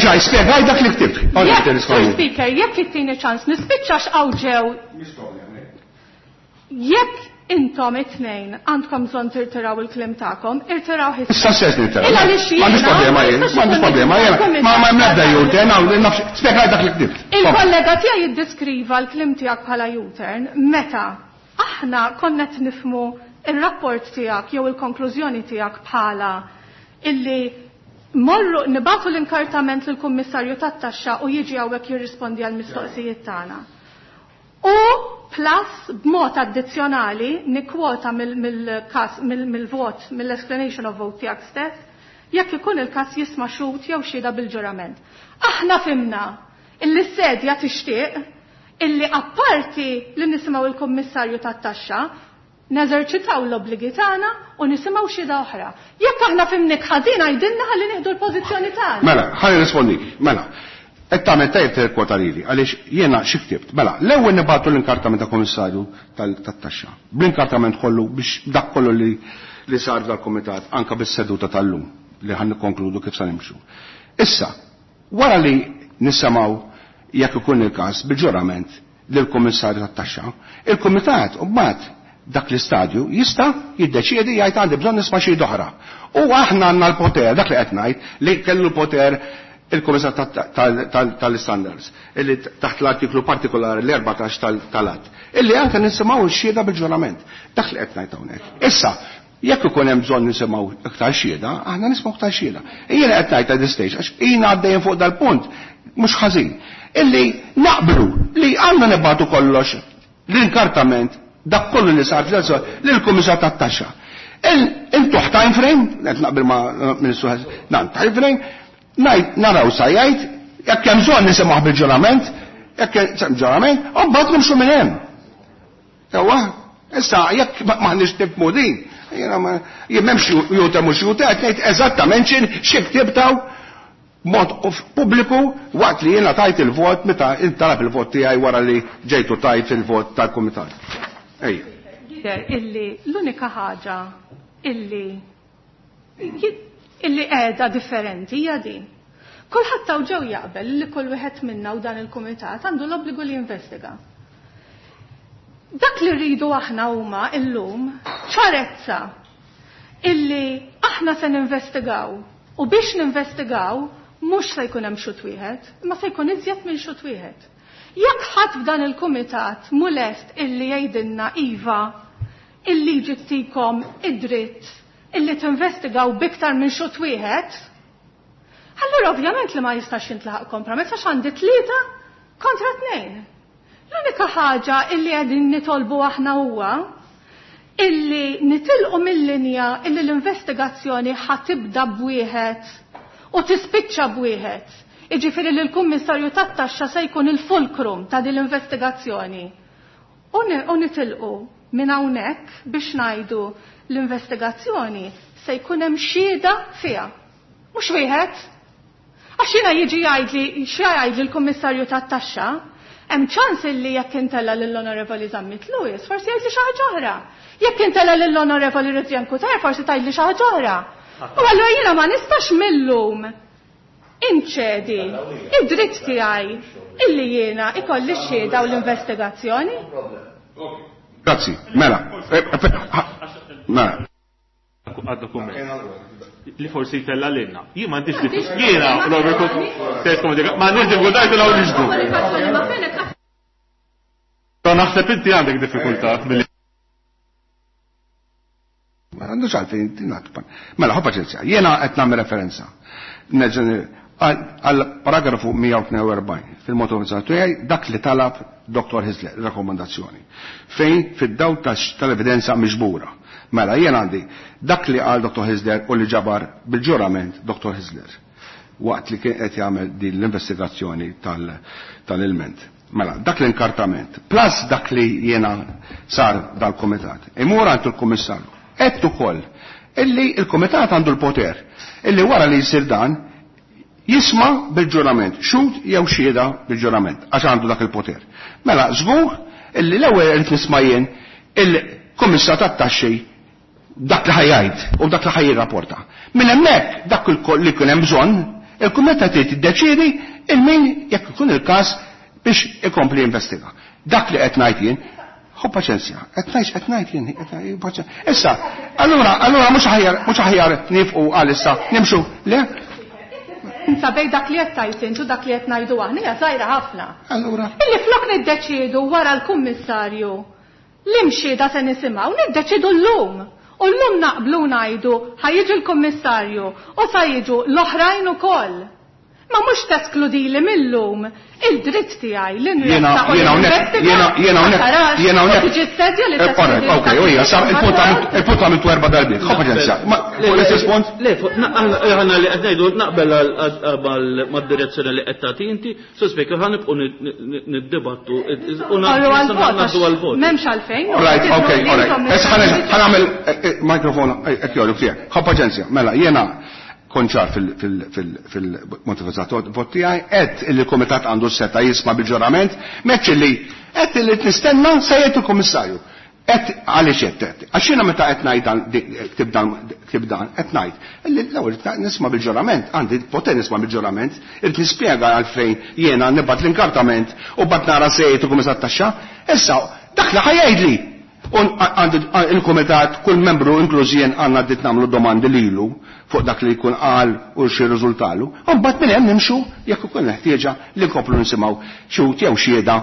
Ġaj spjegaj dak li ktibt. Speaker, jekk ittini ċans nispiċċa x'hawn ġew. Jekk intom it-tnejn għandkom bżonn tirtiraw il-kliem tagħkom, irtiraw ħissa. Issa stess nirtiraw. M'għandix problema jien, m'għandix problema jien. Ma ma hemm l-ebda U-turn, spjegaj dak li ktibt. Il-kollega tiegħi jiddeskriva l-kliem tiegħek bħala U-turn meta aħna konna qed nifhmu ir-rapport tiegħek jew il-konklużjoni tiegħek bħala illi morru nibatu l-inkartament lill-Kummissarju tat-Taxxa u jiġi hawnhekk jirrispondi għall-mistoqsijiet tagħna. U plus b'mod addizzjonali nikkwota mill-każ mill-vot mill-explanation of vote tiegħek stess jekk ikun il-każ jisma' xhud jew xhieda bil-ġurament. Aħna fimna illi s-sedja tixtieq illi apparti li nisimgħu il-Kummissarju tat-Taxxa neżerċitaw l-obbligi tagħna u nisimgħu xhieda oħra. Jekk aħna fimnik ħażin għidilna ħalli nieħdu l-pożizzjoni tagħna. Mela, ħalli nirrispondik. Mela. Qed tagħmel tajjeb tirkwota lili għaliex jiena xi ktibt. Mela, l-ewwel nibgħatu l-inkartament ta' Kummissarju tat-Taxxa. Bl-inkartament kollu biex dak kollu li li sar dal-kumitat anke bis-seduta tal-lum li ħan nikkonkludu kif se nimxu. Issa, wara li nisimgħu jekk ikun il-każ bil-ġurament lill-Kummissarju tat-Taxxa, il-Kumitat mbagħad dak l-istadju jista' jiddeċiedi jgħid għandi bżonn nisma' xi oħra. U aħna għandna l-poter, dak li qed ngħid li kellu l-poter il-Kummissar tal-Standards, illi taħt l-artiklu partikolari l-erbatax tal-att, illi anke nisimgħu x-xhieda bil-ġurament. Dak li qed ngħid hawnhekk. Issa, jekk ikun hemm bżonn nisimgħu iktar xhieda, aħna nisimgħu iktar xhieda. Jiena qed ngħid at this stage, għax jiena għaddejjin fuq dal-punt mhux ħażin, illi naqblu li għandna nibgħatu kollox l-inkartament dak kollu li sar lill-Kummissar tat-Taxxa. Intuħ time frame, qed naqbel ma' Ministru nan time frame, ngħid naraw sa jgħid, jekk hemm bżonn nisimgħu bil-ġurament, jekk hemm ġurament, u mbagħad nimxu minn hemm. Ewa, issa jekk m'aħniex nifhmu din, jiena ma jien m'hemmx juta mhux juta, qed ngħid eżattament xi ktibtaw mod pubbliku waqt li jiena tajt il-vot meta intalab il-vot tiegħi wara li ġejtu tajt il-vot tal-kumitat. Ejja. Illi l-unika ħaġa illi illi qiegħda differenti hija din. Kulħadd taw ġew jaqbel li kull wieħed minna u dan il-kumitat għandu l-obbligu li jinvestiga. Dak li rridu aħna huma illum ċarezza illi aħna se ninvestigaw u biex ninvestigaw mhux se jkun hemm xut wieħed, imma se jkun iżjed minn xut wieħed. Jekk ħadd f'dan il-kumitat mhu lest illi jgħidilna iva il-liġi tikom id-dritt illi tinvestigaw biktar minn xut wieħed, allura ovvjament li ma jistax jintlaħaq kompromess għax għandi tlieta kontra tnejn. L-unika ħaġa illi qegħdin nitolbu aħna huwa illi nitilqu mill-linja illi l-investigazzjoni ħatibda b'wieħed u tispiċċa b'wieħed. Jiġifieri li l-Kummissarju tat-Taxxa se jkun il-fulkrum ta' din l-investigazzjoni. U nitilqu minn hawnhekk biex ngħidu l-investigazzjoni se jkun hemm xhieda fiha. Mhux wieħed. Għax jiena jiġi jgħidli x'jgħidli l-Kummissarju tat-Taxxa, hemm ċans illi jekk intella lill-Onorevoli Zammit Lewis, forsi jgħidli xi ħaġa oħra. Jekk intella lill-Onorevoli Rosianne Cutajar, forsi tgħidli xi ħaġa oħra. U allura jiena ma nistax millum inċedi id-dritt tiegħi illi jiena ikolli x-xhieda u l-investigazzjoni. Grazzi, mela. Mela. Għad-dokument. Li forsi jtella lilna. Jien m'għandix diffikultà. Jiena, ma m'għandix diffikultà jtellgħu nixdu. Naħseb inti għandek diffikultà billi. Ma għandux għalfejn tingħat. Mela, ħu paċenzja. Jiena qed nagħmel referenza. Għal paragrafu mija u tnejn u erbgħin fil-motivazzjoni tiegħi dak li talab Doktor Hyzler, rakkomandazzjoni. Fejn fid-dawl tal-evidenza miġbura Mela, jien għandi dak li qal Dottor Hyzler u li ġabar bil-ġurament Dottor Hyzler waqt li kien qed jagħmel din l-investigazzjoni tal-ilment. Mela, dak l-inkartament, plus dak li jiena sar dal-komitat, imur għand il-kummissarju. Qed ukoll illi il-komitat għandu l-poter illi wara li jsir dan jisma' bil-ġurament, xhud jew xhieda bil-ġurament, għax għandu dak il-poter. Mela, żgur illi l-ewwel irid nisma' jien il-kummissar tat-taxxi dak li ħajjgħid u dak li ħajjirrapporta. Minn hemmhekk dak li kien hemm bżonn, il-kumitat trid tiddeċiedi il-min jekk ikun il-każ biex ikompli jinvestiga. Dak li qed ngħid jien, ħu paċenzja, qed ngħid qed ngħid jien, paċenzja. Issa, allura allura mhux aħjar mhux aħjar nifqu għalissa nimxu, le? Insa bej dak li qed tgħid int u dak li qed ngħidu aħna hija żgħira ħafna. Allura. Illi flok niddeċiedu wara l-kummissarju li mxieda se nisimgħu, niddeċiedu llum. U llum naqblu ngħidu ħa jiġi l-kummissarju u sa jiġu l-oħrajn ukoll. Ma mhux teskludili mill-lum il-dritt tiegħi li nressaq u ninvestiga. Jiena hawnhekk, jiena hawnhekk. Tiġi s-sedja li teskludili. Ok, u hija sar il-punt għamiltu erba' darbiet. Ħa paċenzja. Fuq l-istess punt? Le, aħna li qed ngħidu naqbel mad-direzzjoni li qed tagħti inti, so speaker ħa nibqgħu niddibattu u ngħaddu għall-vot. M'hemmx għalfejn. All right, ok, all right. Issa ħa nagħmel mikrofon hekk jogħġbok tiegħek. Ħa paċenzja. Mela, jiena konċar fil-motivazzator vot tiegħi, qed illi l-kumitat għandu s-seta jisma' bil-ġurament, meċ illi qed illi nistenna se jgħid il-kummissarju. Qed għaliex qed qed. Għax jiena meta qed ngħid dan ktib dan ktib dan qed ngħid illi l-ewwel nisma' bil-ġurament, għandi poter nisma' bil-ġurament, irid nispjega għalfejn jiena nibgħat l-inkartament u bad nara se jgħid il-kummissar taxxa. Issa dak li ħajjgħidli. Għandi il-kumitat, kull membru inkluż jien għandna dritt nagħmlu domandi lilu fuq dak li jkun qal u xi riżultalu. U mbagħad minn hemm nimxu jekk ikun ħtieġa li nkomplu nisimgħu xhud jew xhieda.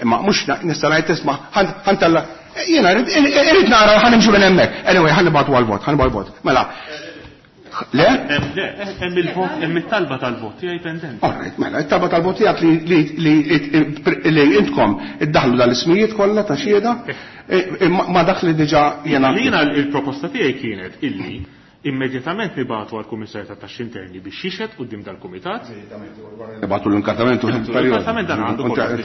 Imma mhux nista' ngħid tisma' ħantella jiena irrid nara ħa nimxu minn hemmhekk. Anyway, ħa nibgħatu għall-vot, ħa nibgħatu għall-vot. Mela. Le? Hemm il-vot, hemm it-talba tal-vot tiegħi pendenti. All right, mela, it-talba tal-vot tiegħek li intkom iddaħlu dal-ismijiet kollha ta' xhieda ma dak li diġà jiena. Jiena il-proposta tiegħi kienet illi immedjatament nibgħatu għall-Kummissarju tat-Taxxi Interni biex jixhed quddiem dal-Kumitat. Nibgħatu l-inkartament u l-inkartament dan għandu kollox.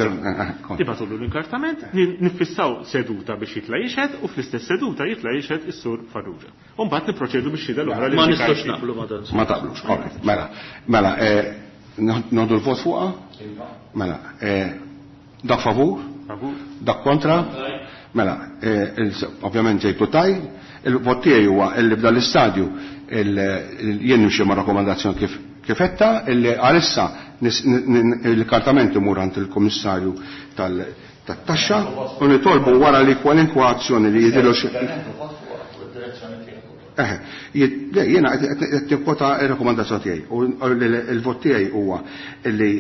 Nibgħatu l-inkartament, nifissaw seduta biex jitla' jixhed u fl-istess seduta jitla' jixhed is-Sur Farrugia. U mbagħad nipproċedu biex xhieda l-oħra li ma nistgħux naqblu ma dan. Ma taqblux, all mela, mela, noħdu l-vot fuqha? Mela, dak favur? Favur. Dak kontra? Mela, ovvjament ġejtu taj, il-vot tiegħi huwa illi f'dan l-istadju jien nimxi ma' rakkomandazzjoni kif kif etta illi għalissa il-kartament imur għand il-Kummissarju tat-taxxa u nitolbu wara li kwalinkwa azzjoni li jidhirlu xi. Eh, jiena qed nikkwota r-rakkomandazzjoni tiegħi u l-vot tiegħi huwa illi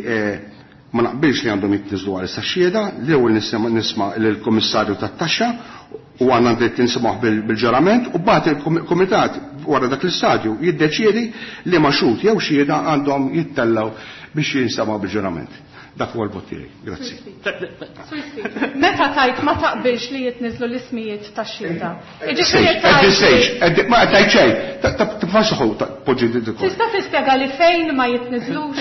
ma naqbilx li għandhom jitniżlu għalissa xhieda, l-ewwel nisma' lill-Kummissarju tat-taxxa u għandna dritt nisimgħu bil-ġurament u mbagħad il-kumitat wara dak l-istadju jiddeċiedi li ma xhud jew xhieda għandhom jittellgħu biex jinsemgħu bil-ġurament. Dak huwa l-vot tiegħi. Grazzi. Meta tajt ma taqbilx li jitniżlu l-ismijiet tax-xhieda. At this stage, ma tajt xejn, tibfax poġġi dik. Tista' tispjega li fejn ma jitniżlux?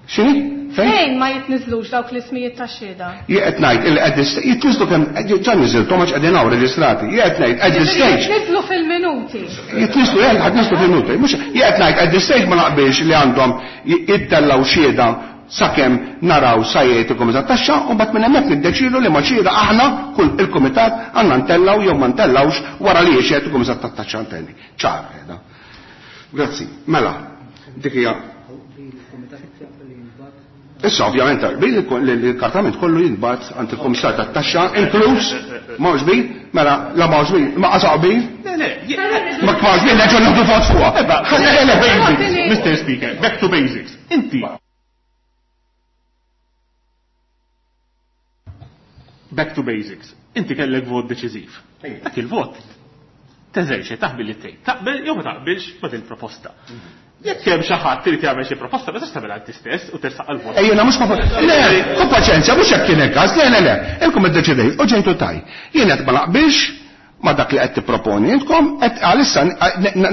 X'inhi? Fejn ma jitniżlux dawk l-ismijiet tax-xhieda? Jien qed ngħid il qed jitniżlu kemm ġa niżilthom għax qegħdin hawn reġistrati. Jien qed ngħid at this stage. Jitniżlu fil-minuti. Jitniżlu, jien qed niżlu fil-minuti. Mhux jien qed ngħid at this stage ma naqbilx li għandhom jittellgħu xhieda sakemm naraw sa jgħid il-Kumitat Taxxa u mbagħad minn hemmhekk niddeċidu li ma xhieda aħna kull il-Kumitat għandna ntellgħu jew ma ntellgħux wara li jixhed il-Kumitat tat-Taxxa interni. Ċar qiegħda. Grazzi. Mela, dik hija. Issa ovvjament l-kartament kollu jintbagħat għand il-Kummissar tat-Taxxa inkluż m'hawnx bil, mela la m'hawnx bil, ma qasaq bil. Le, le, ma kfax bil, nerġgħu nieħdu vot fuqha. Mister Speaker, back to basics. Inti. Back to basics. Inti kellek vot deċiżiv. Dak il-vot teżerċi taħbil li tgħid. Taqbel jew ma taqbilx ma din proposta. Jekk hemm xi ħadd irid jagħmel xi proposta, ma tistax tagħmilha inti stess u tersaq għall-vot. Ejja, mhux ma le, kun paċenzja, mhux hekk kien il-każ, le, le, le. Inkom iddeċidejt u ġejtu taj. Jien qed ma naqbilx ma dak li qed tipproponi intkom, qed għalissa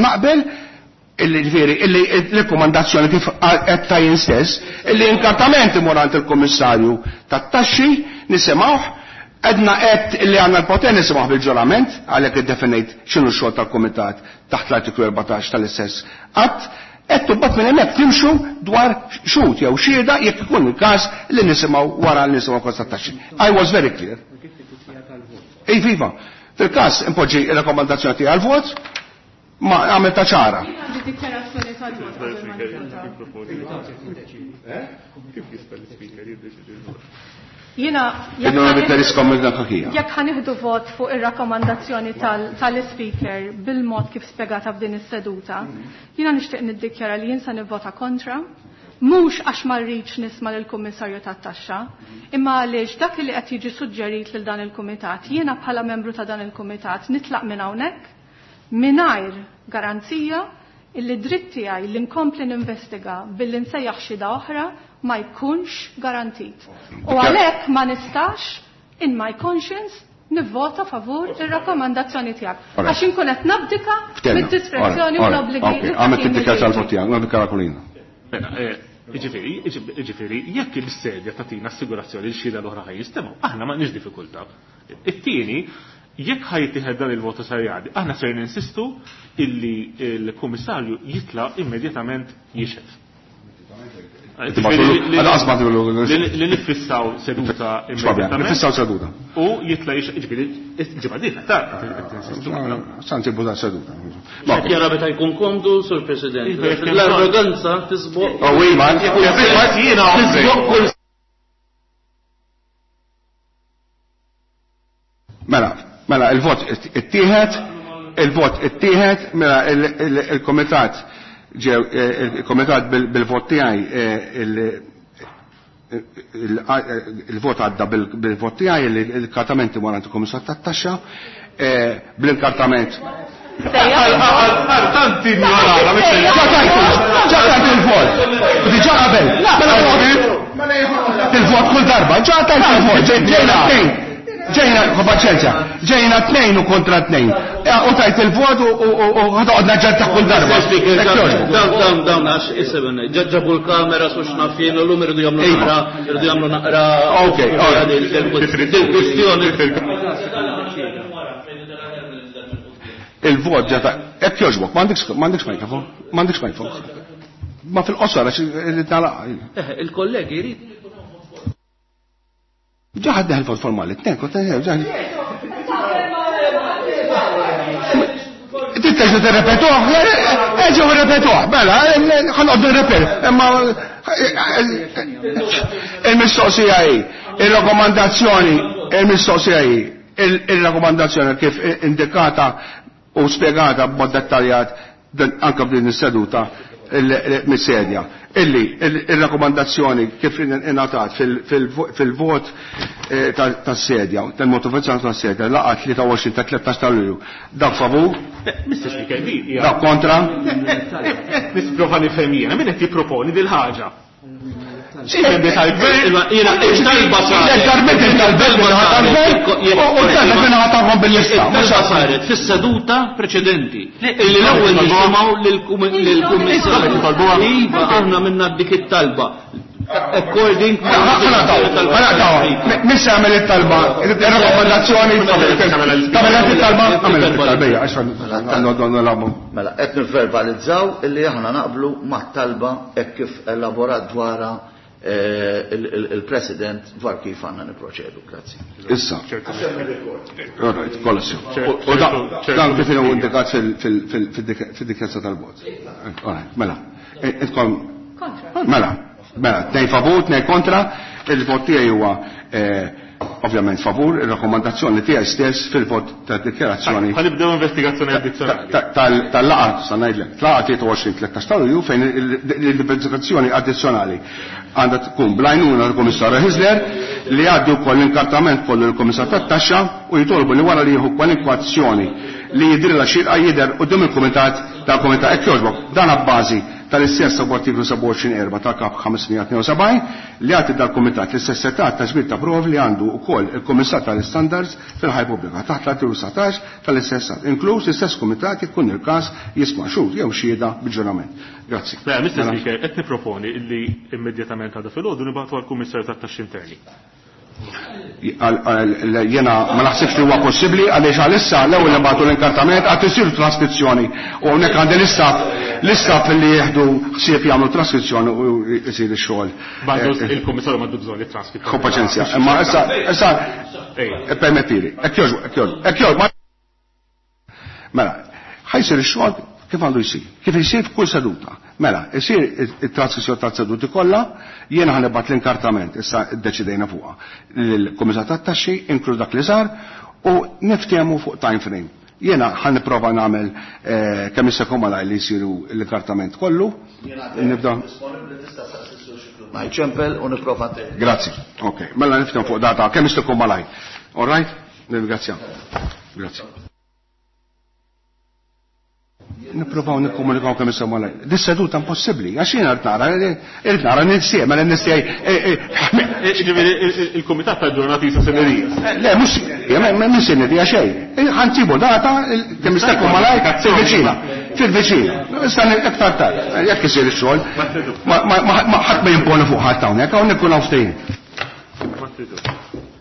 naqbel illi ġifieri illi l-rekomandazzjoni kif qed tajjin stess, illi inkartament imur għand il-Kummissarju tat-taxxi nisimgħuh, għedna qed illi għandna l-poter nisimgħuh bil-ġurament, għalhekk iddefinejt x'inhu x-xogħol tal-Kumitat taħt l-artiklu erbatax tal-istess att, qed tubbat minn hemmhekk timxu dwar xhud jew xhieda jekk ikun il-każ li nisimgħu wara li nisimgħu kosta taxxi. I was very clear. Iva, iva. Fil-każ impoġġi r-rakkomandazzjoni tiegħi għall-vot, ma għamilta ċara. Jiena jekk ħanieħdu vot fuq ir-rakkomandazzjoni tal-ispeaker bil-mod kif spjegata f'din is-seduta, jiena nixtieq niddikjara li jien se nivvota kontra, mhux għax ma rridx nisma' lill-Kummissarju tat-Taxxa, imma għaliex dak li qed jiġi suġġerit lil dan il-kumitat, jiena bħala membru ta' dan il-kumitat nitlaq minn hawnhekk mingħajr garanzija illi dritt tiegħi li nkompli ninvestiga billi nsejjaħ xhieda oħra ma jkunx garantit. U għalhekk ma nistax in my conscience nivvota favur ir-rakkomandazzjoni tiegħek. Għax inkun qed nabdika mid-diskrezzjoni u l-obbligi. Għamilt id-dikjarazzjoni tal-vot tiegħek, nabdika kulina. Jiġifieri, jiġifieri, jekk il-sedja tagħtina assigurazzjoni li xhieda l-oħra ħaj jistemgħu, aħna m'għandniex diffikultà. It-tieni, jekk ħajtieħed dan il-voto sar jgħaddi, aħna ser ninsistu illi l-Kummissarju jitla' immedjatament jixhed. Li nifissaw seduta immedjatament. Nifissaw seduta. U jitla' jixhed, jiġifieri, ġimgħa dieħla ta' tinsistu. Santi buża seduta. Jara meta jkun komdu, Sur President. L-arroganza tisboq. Oh, Tisboq kull. Mela, mela il-vot ittieħed, il-vot ittieħed, mela il-komitat ġew il-komitat bil-vot tiegħi il-vot għadda bil-vot tiegħi il-kartamenti wara il-Kummissar tat-Taxxa bl-inkartament. Tanti ignorata, ġa tajt il-vot. Diġà qabel. Mela il-vot kull darba, ġa tajt il-vot. Ġejna tnejn. Ġejna, paċenzja, ġejna tnejn u kontra tnejn. U tajt il-vot u ħatoqgħod naġġetta kull darba. Dawn, dawn, dawn, għax iseben, ġabu l-kamera su xnafjen, u l-lum irridu jagħmlu naqra, irridu jagħmlu naqra. Ok, il-kwestjoni. Il-vot ġata, hekk jogħġbok, m'għandekx mikrofon, m'għandekx mikrofon. Ma fil-qosor għax irrid nagħlaq. Il-kollegi jrid. Ġaħad deħel vot formali, tnejn, kont ġaħad. Titteġu tirrepetuh, eġu rrepetuh, mela, ħanqod nirrepet, imma il-mistoqsija hi, il-rakkomandazzjoni, il-mistoqsija hi, il-rakkomandazzjoni kif indikata u spjegata b'mod dettaljat anke f'din is-seduta mis-sedja. Illi il-rakkomandazzjoni kif ingħatat fil-vot tas-sedja, tal-motivazzjoni tas-sedja, laqgħa tlieta u għoxrin ta' tlettax ta' Lulju. Dak favur? Mister Speaker, di Dak kontra? Nisprova nifhem jiena, min qed jipproponi dil ħaġa? Sì, il-talba saret. Il-talba saret fis-seduta preċedenti. Illi l-ewwel nisimgħu lill-Kummissarju. Iva, aħna minna dik it-talba. According Missa għamel it-talba, il-rakkomandazzjoni, tagħmel it-talba, għamel it-talba, għax nagħmlu. Mela, qed nivverbalizzaw illi aħna naqblu mat-talba hekk kif elaborat dwarha il-President dwar kif għandna niproċedu. Grazzi. Issa. All right, kollha. U dan kif inhu indikat fil-dikjazza tal-vot. All right, mela. Intkom Mela, mela, tnejn favur, tnejn kontra, il-vot tiegħi huwa ovvjament favur, ir-rakkomandazzjoni tiegħi stess fil-vot ta' dikjarazzjoni. Ħanibdew investigazzjoni addizzjonali. Tal-laqgħa, sa ngħidlek, laqgħa tlieta u għoxrin tlettax ta' Lulju fejn l-investigazzjoni addizzjonali għandha tkun bl-għajnuna tal-Kummissarju Hyzler li jgħaddi wkoll l-inkartament kollu lill-Kummissar tat-Taxxa u jitolbu li wara li jieħu kwalinkwa azzjoni li jidhrilha xierqa jidher quddiem il-Kumitat tal-Kumitat. Hekk jogħġbok, dan abbażi tal-istess artiklu sebgħa u għoxrin erba' ta' Kap ħames mija tnejn u sebgħin li jagħti dal-Kumitat l-istess setgħat ta' ġbir ta' provi li għandu wkoll il-Kummissar tal-Istandards fil-ħajja pubblika taħt l-artiklu sbatax tal-istess att, inkluż l-istess kumitat jekk il-każ jisma' xhud jew xhieda bil-ġurament. Grazzi. Mela, Mister Speaker, qed niproponi illi immedjatament għada filgħodu nibagħtu għall-Kummissarju tat-Taxxi Interni. Jena ma naħsibx li huwa possibbli, għaliex għalissa l-ewwel nibagħtu l-inkartament, għad isir traskrizzjoni u hawnhekk għandi l-istaff l-istaff li jieħdu ħsieb jagħmlu traskrizzjoni u jsir ix-xogħol. Il-Kummissarju m'għandu bżonn it-transkrizzjoni. Ħu paċenzja, imma issa issa permettili, hekk jogħġbu, hekk jogħġbu, hekk jogħġbu. Mela, ħa jsir ix-xogħol kif għandu jsir, kif isir f'kull seduta. Mela, isir it-traskrizzjoni tas-seduti kollha, jiena ħa nibgħat l-inkartament, issa ddeċidejna fuqha, lill-Kumitat tat-Taxxi, inkluż dak li sar, u niftehmu fuq time frame. Jiena ħa nipprova nagħmel eh, kemm jista' jkun malajr li jsiru l-inkartament kollu. Nibda. Ma jċempel u nipprova. Grazzi. Ok, mela niftehmu fuq data kemm jista' jkun malajr. All right? Nirringrazzja. Grazzi. Nipprovaw nikkomunikaw kemm jista' malajr. Dis-seduta impossibbli, għax jiena rrid nara, irrid nara ninsieq, mela ninsieq. Ġifieri il-Kumitat tal-ġurnati sa sine die. Le, mhux minn sine die xejn. Ħa nsibu data kemm jista' jkun malajr fil-viċina. Fil-viċina. Issa iktar tard, jekk isir ix-xogħol, ma ħadd ma jimponi fuq ħadd hawnhekk, hawnhekk kun hawn ftehim. Ma tridux.